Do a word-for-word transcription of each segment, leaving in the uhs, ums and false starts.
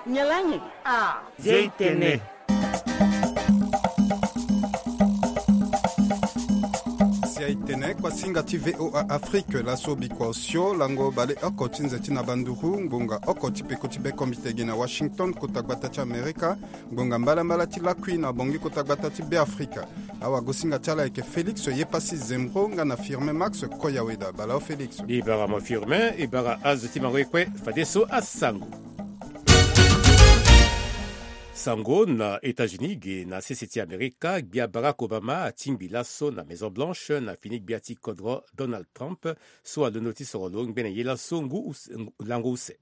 Nyalangi a. Zia itene. Zia itene, kuasinga ti VOA Afrique, laso bikua osio lango baleoko ti nze ti na banduru, ngbonga oko ti peko ti bekombite gi na Washington, kota gbata ti Amerika, ngbonga mbalambala ti lakui na bongi kota gbata ti Beafrika. Awagosinga ti ala ayeke Félix Yepasi Zembro nga na Firmin Max Koyaweda. Bala o Félix. E bara mo Firmin, e bara azo ti mango ye kue, fadeso asango. Sango na États-Unis ge na sese ti Amerika, gbia Barack Obama atingbi laso na Maison Blanche na fini gbia ti kodro Donald Trump, so alondo ti soro lo ngbene ye laso ngu use, ngu, lango use.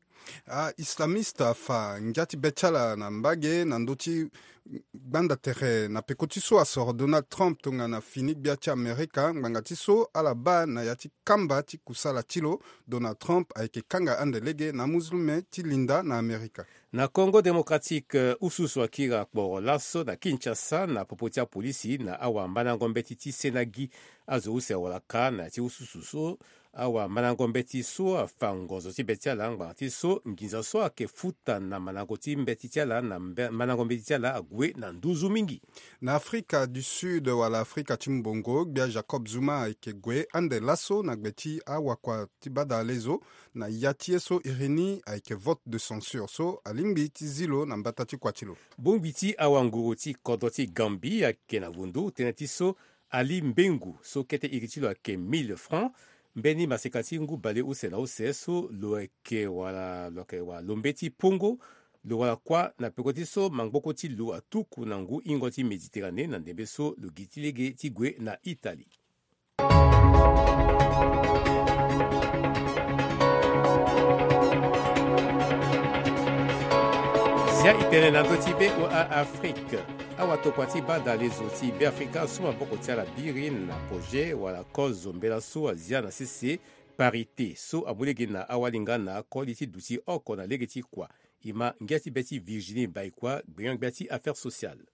A-islamiste afa ngia ti be ti ala na mbage na ndö ti gbanda tere na peko ti so asoro Donald Trump tongana fini gbia ti Amerika, ngbanga ti so ala baa na ya ti kamba ti kusala ti lo. Donald Trump ayeke kanga ande lege na amuzulume ti linda na Amerika. Na Congo Démocratique, ususu akiri akporo laso na Kinshasa na popo ti apolisi na awamandango mbeti ti sena gi. Azo use awara ka na ya ti ususu so awamandango mbeti so afa ngonzo ti be ti ala ngbanga ti so nginza so ayeke futa na mandango ti mbeti ti ala na mbe-, mandango mbeti ti ala ague na nduzu mingi. Na Afrika du Sud wala Afrika ti Mbongo, gbia Jacob Zuma ayeke gue ande laso na gbe ti awakua ti badalezo na ya ti ye so iri ni ayeke vote de censure so alingbi ti zi lo na mbata ti kua ti lo. Bongbi ti awanguru ti kodro ti Gambie ayeke na vundu tënë ti so Ali Mbengu so kete iri ti lo ayeke mille francs, mbeni maseka ti ngu bale use na use so lo yeke wala, lo yeke wala lo mbeti pongo, lo wara kuâ na peko ti so mangboko ti lo atuku na ngu hingo ti Méditerranée na ndembe so lo gi ti lege ti gue na Italie. Zia itene na ndö ti VOA Afrique. Awatokua ti badalezo ti Beafrika so maboko ti ala biri na projet wala kozo mbela so azia na sese parité so amu lege na awali nga na akoli ti duti oko na lege ti kua. E ma ngia ti be ti Virginie Baïkoi, gbenyo-gbia ti affaires sociales.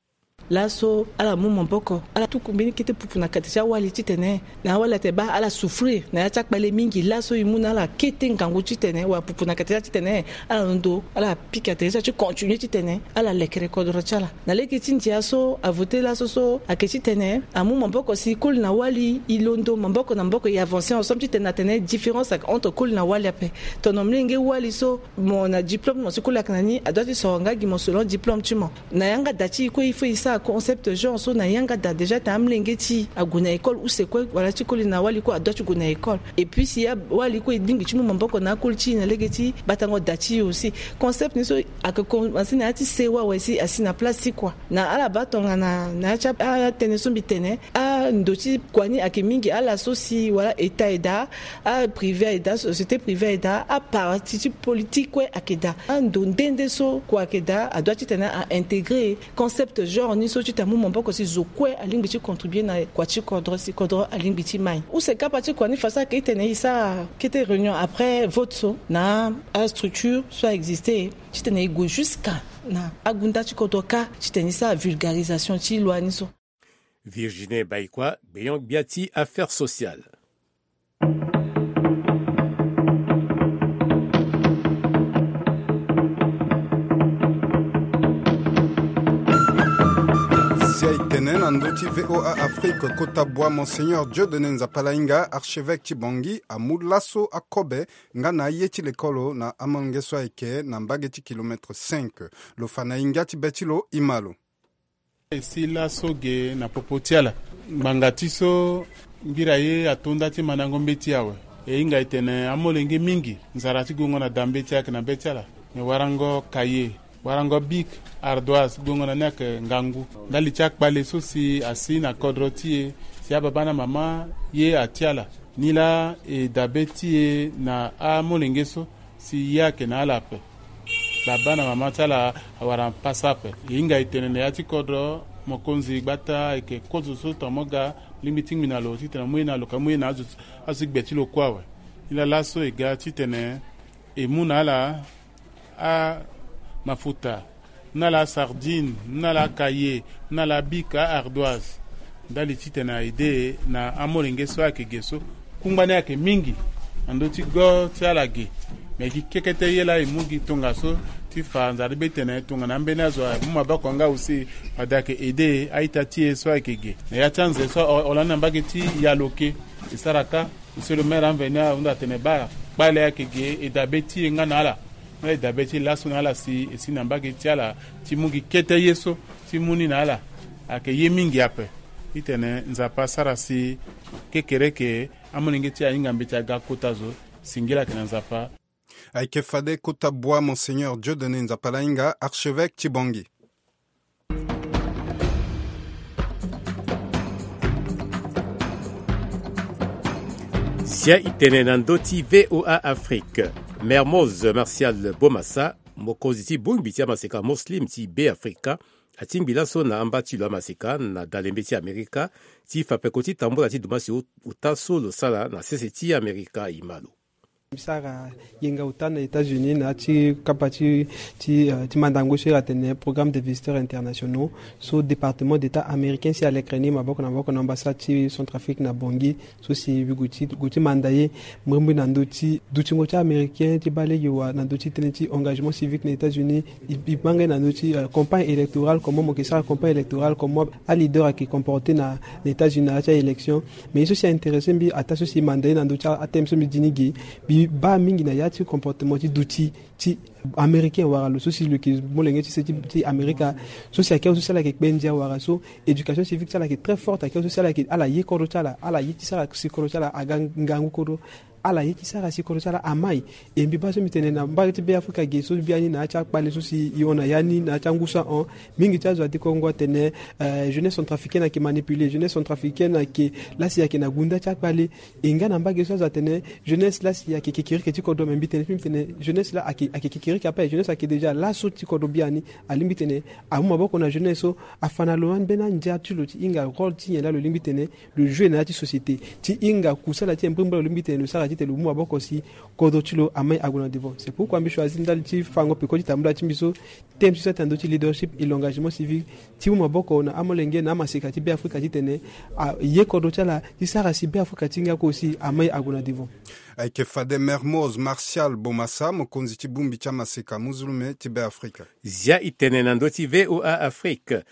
Laso ala mu maboko, ala tuku mbeni kete pupu na kati ti awali titene na awali atene baa ala souffrir na ya ti akpale mingi. Laso e mu na ala kete ngangu titene wala pupu na kati ti ala titene ala londo ala pika tere ti ala ti continuer titene ala lekere kodro ti ala. Na lege ti ndia so avote laso so ayeke titene amu maboko si koli na wali e londo maboko na maboko e avancer ensemble titene atene différence ayeke entre koli na wali ape. Tongana molenge wali so mo na diplôme ti mo si koli ayeke na ni, adoit ti soro nga gi mo selon diplôme ti mo. Na yanga da ti e kue il faut e sara concept genre so na yanga da déjà tene amolenge ti e ague na école use kue wala ti koli na wali kue adoit ti gue na école. Et puis si awali kue e lingbi ti mu maboko na akoli ti e na lege ti batango da ti e aussi. Concept ni so ayeke commencer na ya ti se wawe si asi na place ti kua. Na ala baa tongana na ya ti atënë so mbi tene, ando ti kua ni ayeke mingi, ala so si wala état e daa, aprivé aye daa, société privée aye daa, aparti ti politique kue ayeke daa. Ando nde nde so kua ayeke daa adoit titene a intégrer concept genre ni so titene amu maboko si zo kue alingbi ti contribuer na kua ti kodro si kodro alingbi ti mai. Use kapa ti kua ni façon ayeke titene e sara kete réunion après vote so na astructure so a existe titene e gue jusqu'à na agunda ti kodro kâ titene e sara vulgarisation ti loi ni so. Virginie Baïkoi, gbenyo-gbia ti affaires sociales. Si aye tene na ndö ti VOA Afrique, kota bua Monseigneur Dieudonné Nzapalainga, archevêque ti Bangui, amu laso akobe nga na aye ti lekolo na amolenge so ayeke na mbage ti kilomètre cinq. Lo fa na e ngia ti be ti lo, e ma lo. E si laso ge na popo ti ala. Ngbanga ti so ngbira ye ato nda ti mandango mbeti awe. E hinga e tene amolenge mingi nzara ti gongo na da mbeti ayeke na be ti ala. Me warango kaye, warango bic, ardoise, gongo na ni ayeke ngangu. Ndali ti akpale so si asi na kodro ti e, si ababa na mama ye ati ala. Nilaa e dabe ti e na amolenge so si ye ayeke na ala ape. Baba na mama ti ala awara pasa ape. E hinga e tene na ya ti kodro, mokonzi gbata ayeke kozo so tongana mo ga, lingbi ti ngbi na lo titene mo ye na lo ka mo ye na azo, azo ti gbe ti lo kue awe. Nilaa laso e ga titene e mu na ala amafuta, na ala asardine, na ala akaye, na ala abika, aardoise. Ndali titene a aide na amolenge so ayeke ge so. Kungba ni ayeke mingi na ndö ti go ti ala ge. Me gi kekete ye laa e mu gi tongaso Ti fa nzara ti be tene tongana ambeni azo amu maboko nga aussi, fade ayeke aide a-ita ti e so ayeke ge na ya ti anze so aholande na mbage ti Yaloke. E sara kâ monsieur le maire amveni ahunda atene baa kpale ayeke ge, e dabe ti e nga na ala. Nga e dabe ti e laso na ala si e si na mbage ti ala ti mu gi kete ye so ti mu ni na ala. Ayeke ye mingi ape. Titene Nzapa asara si kekereke amolenge ti e ahinga mbeti aga kota zo. Singila ayeke na Nzapa. Ayeke fade kota bua Monseigneur Dieudonné Nzapalainga, archevêque ti Bangui. Sia e tene na ndö ti V O A Afrique. Mermoz Martial Bomassa, mokonzi ti bongbi ti amaseka Muslim ti Beafrika, atingbi laso na amba ti lo amaseka na dalembe ti Amerika ti fa peko ti tambula ti dumbasi ota so lo sara na sese ti Amerika. E ma lo. Mbi sara yenga ota na États-Unis na ya ti kapa ti, ti, eh, ti mandango so iri atene Programme des visiteurs internationaux, so département d'État américain si alekere ni maboko na maboko na ambassade ti Centrafrique na Bangui, so si mbi gue ti, gue ti manda ye mbrimbri na ndö ti dutingo ti américain ti baa lege wa na ndö ti tënë ti engagement civique na États-Unis. E, e baa nga ye na ndö ti, eh, campagne électorale, comment mo yeke sara campagne électorale, comment aleader ayeke comporter na, na États-Unis na ya ti a-élection. Mais ye so si a-intéressé mbi ataa so si e manda ye na ndö ti a-thème so mbi di ni ge, mbi baa mingi na ya ti comportement ti duti ti américain wala lo so si lo yeke molenge ti se ti, ti Amerika. So si ayeke azo so si ala yeke kpe ndia wala so éducation civique ti ala ayeke très forte, ayeke azo so si ala yeke, ala ye kodro ti ala, ala ye ti sara si kodro ti ala aga ngangu kodro. Ala ye ti sara si kodro ti ala amai. E mbi baa so mbi tene na mbage ti Beafrika ge so biani na ya ti akpale so si e hon na ya ni na ya ti angu so ahon. Mingi ti azo adi kongo atene, eh, jeunesse centrafricaine ayeke manipuler, jeunesse centrafricaine ayeke, la si ayeke na gunda ti akpale. E nga na mbage so azo atene jeunesse la si ayeke kekereke ti kodro, me mbi tene ti mbi tene jeunesse la ayeke, ayeke kekereke ape, jeunesse ayeke déjà laso ti kodro biani. Alingbi tene amu maboko na jeunesse so afa na lo ambeni andia ti lo ti hinga rôle ti nyen laa lo lingbi tene lo jouer na ya ti société, ti hinga kusala ti nyen mbrimbri laa lo lingbi tene lo sara titene lo mu maboko si kodro ti lo amai ague na devant. C'est pourquoi mbi choisir ndali ti fango peko ti tambula ti mbi so, thème ti so atene na ndö ti leadership et l'engagement civique, ti mu maboko na amolenge na amaseka ti Beafrika titene aye kodro ti ala ti sara si Beafrika ti hinga kue aussi amai ague na devant. Ayeke fade Mermoz Martial Bomassa, mokonzi ti bongbi ti amaseka muzulume ti Beafrika. Zia e tene na ndö ti V O A Afrique.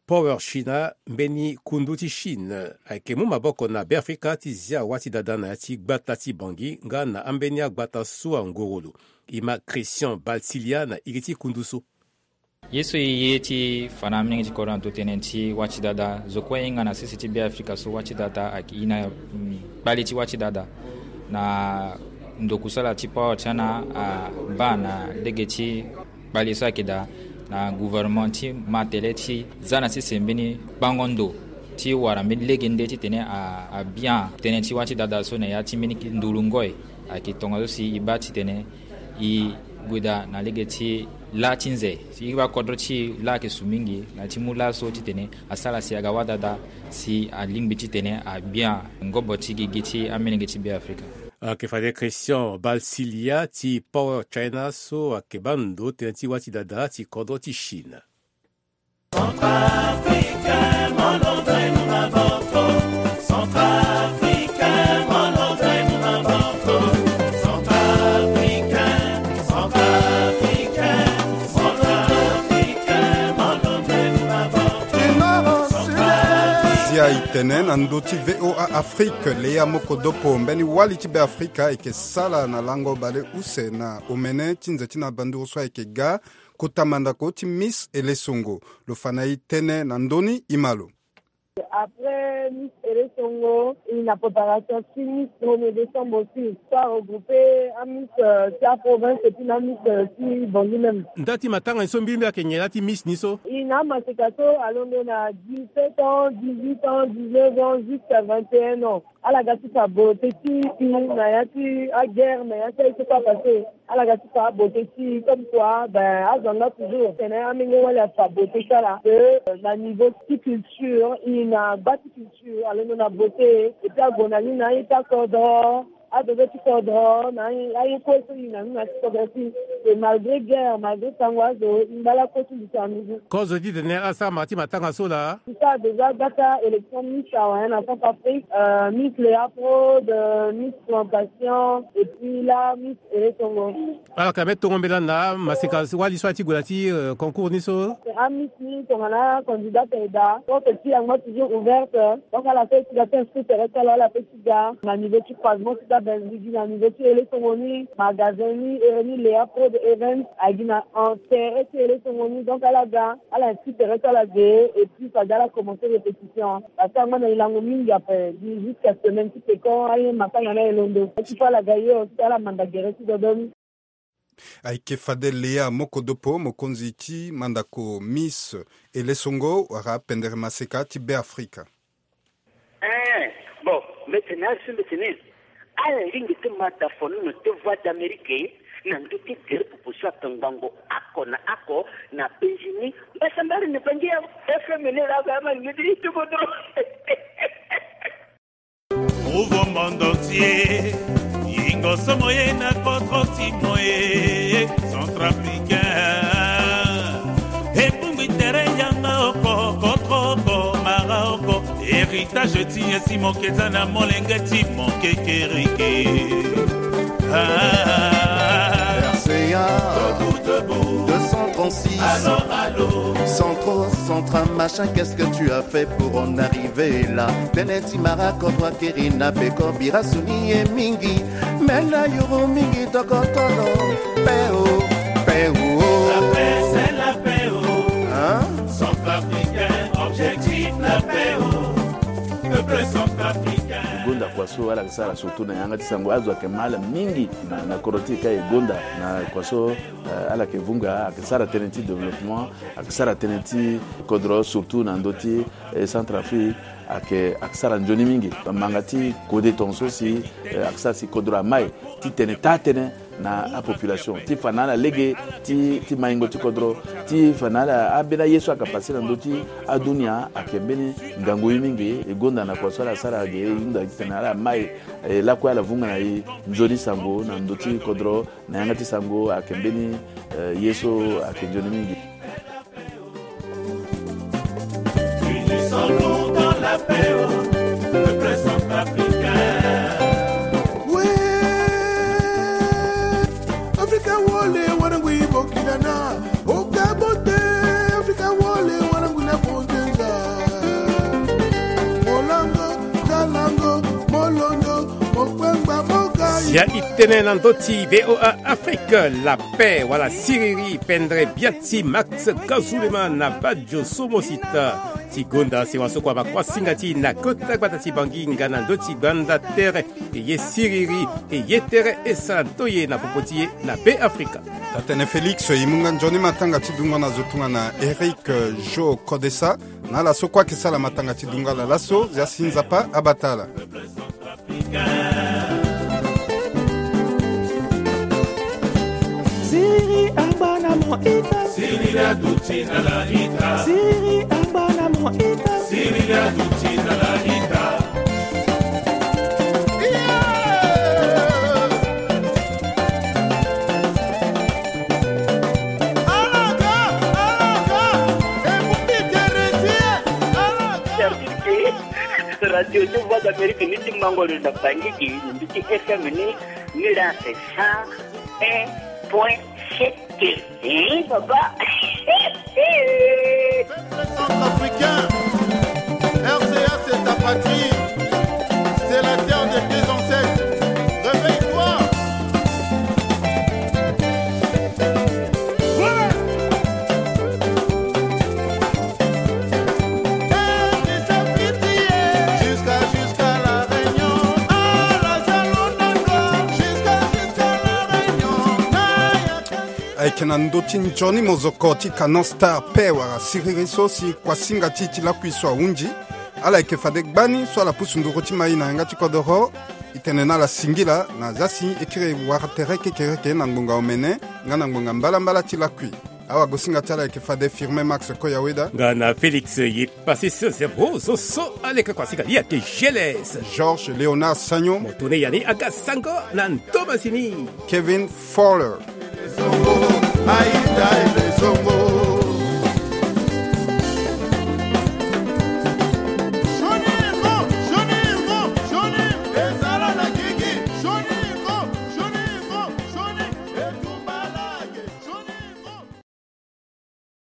Power China, mbeni kundu ti Chine, ayeke mu maboko na Beafrika ti zia wâ ti dada na ya ti gbata ti Bangui nga na ambeni agbata so angoro lo. E ma Christian Balsilia na iri ti kundu so. Ye so e ye ti fa na amolenge ti kodro na ndo tënë ti wâ ti dada, zo kue e hinga na sese ti Beafrika so wâ ti dada ayeke e na, mm, kpale ti wâ ti dada. Na ndo kusala ti Power China abaa na lege ti kpale so ayeke daa na gouvernement ti ma tele ti za na sese mbeni kpango ndo ti wara mbeni lege nde titene a, abia tënë ti wâ ti dada so na ya ti mbeni ndulu ngoi. Ayeke tongaso si e baa titene e gue daa na lege ti lâ ti nze. Si e baa kodro ti e laa ayeke su mingi na ya ti mu laso titene asara si aga wâ dada si alingbi titene agbia ngobo ti gigi ti amolenge ti Beafrika. Ayeke fade Christian Balsilia ti Power China so ayeke baa ndo tënë ti wâ ti dada ti kodro ti Chine. Centrafricain, molongo e mu maboko. Centrafricain, molongo e mu maboko. Centrafricain, Centrafricain, Centrafricain, molongo e mu maboko. Zia e tene na ndö ti V O A Afrique, Lea Mokodopo, mbeni wali ti Beafrika ayeke sala na lango bale use na omene ti nze ti na banduru so ayeke ga kota mandako ti Miss Elesongo. Lo fa na e tënë na ndö ni, e ma lo. Après Miss Elesongo, e na préparation ti Miss premier décembre aussi. So a regrouper a-Miss, euh, ti aprovince et puis na a-Miss, euh, ti Bangui même. Nda ti matanga ni so mbirimbiri ayeke nyen laa ti Miss ni so? E na amaseka so alondo na dix-sept ans, dix-huit ans, dix-neuf ans, jusqu'à vingt et un ans. Ala ga ti fa beauté ti e na ya ti aguerre, na ya ti aye so kue apassé. Ala ga ti fa beauté ti e comme quoi, ben, azo anga toujours tene amenge wali afa beauté ti ala. Que, euh, na niveau ti culture, e na gba ti culture, alondo na beauté. Et puis ague na ni na aye ti akodro. Adobe ti kodro na aye kue so e na ni na ti kodro ti e, malgré guerre, malgré sango azo, e ngba lakue ti mbi ti andugu. Kozo ti tene asara ma ti matanga so laa. E sara déjà gbata élection Miss awa na Centrafrique, euh, Miss Léa Prod, euh, Miss Plantation, et puis là Miss Elesongo. Ala ka me tongo mbela na maseka wali so ati gue na ti, euh, concours ni so. A Miss ni tongana candidat ayeda, porte ti yango toujours ouverte. Donc ala so e ti ga ti inscrit tere ti ala, ala pe ti ga na niveau ti croisement ti ga Benzigi, na niveau ti Elesongo ni, magasin ni, ere ni Léa Prod Events agi na tere ti Elesongo ni. Donc ala ga, ala inscrit tere ti ala ge, et puis fade ala commencer répétition. Parce que angba na e lango mingi ape, jusqu'à semaine ti peko aye matanga na e londo. Ti fo ala ga ye aussi ala manda gere ti dodo ni. Ayeke fade Léa Mokodopo, mokonzi ti mandako Miss Elesongo wala pendere maseka ti Beafrika. Eh, bon, mbeti na asu mbeti ni. Ala lingbi ti mata fonono ti Voix d'Amérique na ndö ti gere popo so ape ngbongo oko na oko na penzi ni. Mbasambari ni bangi ya F M ni la ba ma lingbi ti tubo dro. Nouveau monde entier. Yingo somo ye na kodro ti mo ye, centrafricain. Ebungbi tere yanga oko, kodro oko, mara oko. Héritage ti ye si mo ke za na molenge ti mo kekereke. Ah. R C A deux cent trente-six. Allô, allô. Centro, centra, machin, qu'est-ce que tu as fait pour en arriver là? Tënë ti mara kodro akiri na peko bira soni ye mingi. Me na yuru mingi tokotolo. Pe o, pe o. La paix, c'est la paix, oh. Hein? Centrafricain, objectif la paix, oh. Peuple centrafricain. Gonda kua so ala yeke sara surtout na yanga ti sango, azo ayeke ma ala mingi na, na kodro ti e ka e gonda na kua so, eh, ala yeke vunga, ayeke sara tënë ti développement, ayeke sara tënë ti kodro, surtout na ndö ti, eh, Centrafrique, ayeke, ayeke sara nzoni mingi. Manga ti kode tongaso si, eh, ayeke sara si kodro amai ti tene taa tënë na apopulation ti fa na ala lege ti, ti maingo ti kodro, ti fa na ala ambeni aye so ayeke pase na ndö ti adunia ayeke mbeni ngangu ye mingi. E gonda na kua so ala sara ge, e hunda titene ala mai, e lakue ala vunga na e nzoni sango na ndö ti kodro. Na yanga ti sango ayeke mbeni, eh, ye so ayeke nzoni mingi. Unissons-nous dans la paix, oh, peuple centrafricain. We, Afrika wole, wana ngwi bokila na, oka bote, Afrika wole, wana ngwi na bonzenza. Molango, kalango, molondo, mokwengba, mokai. Sia i tene na ndö ti V O A Afrique, la paix, wala siriri, pendre bia ti Max Kazulema na Badio Somosita. Ti gonda sewa so kua bakuasinga ti na kota gbata ti Bangi nga na ndö ti gbanda tere, e ye siriri, e ye tere, e sara ndoye na popo ti e na Beafrika. Tatene Félix, e mu nga nzoni matanga ti dungo na zo tongana Eric, euh, Jo Kodesa, na ala so kue ayeke sara matanga ti dungo ala laso, zia si Nzapa abata ala. Siriri angba na mo ita. Siriri aduti na la ita. Siriri angba na mo ita. Siriri aduti na la ita. Radio ti Voix d'Amérique ni ti mangoro na Bangui, ni ti F M ni, ni la c'est cent un point sept. Hein, papa. Centrafricain, R C A, c'est ta patrie. C'est la terre de tes ancêtres. Réveille-toi. Ayeke na ndö ti nzoni mozoko ti Canon Star pe wala siriri so si kuasinga ti e ti lakui so ahunzi. Ala yeke fade gbani so ala pusu nduru ti mai na yanga ti kodoro. E tene na ala singila na zia si e kiri wara tere kekereke na ngbonga omene nga na ngbonga mbalambala ti lakui. Awagosinga ti ala ayeke fade Firmin Max Koyaweda. Nga na Félix Yepasis Zebro zo so aleke kua si ka li ayeke Geles. Georges Léonard Sagnon. Mo tene yani aga sango na ndomasi ni. Kevin Fowler.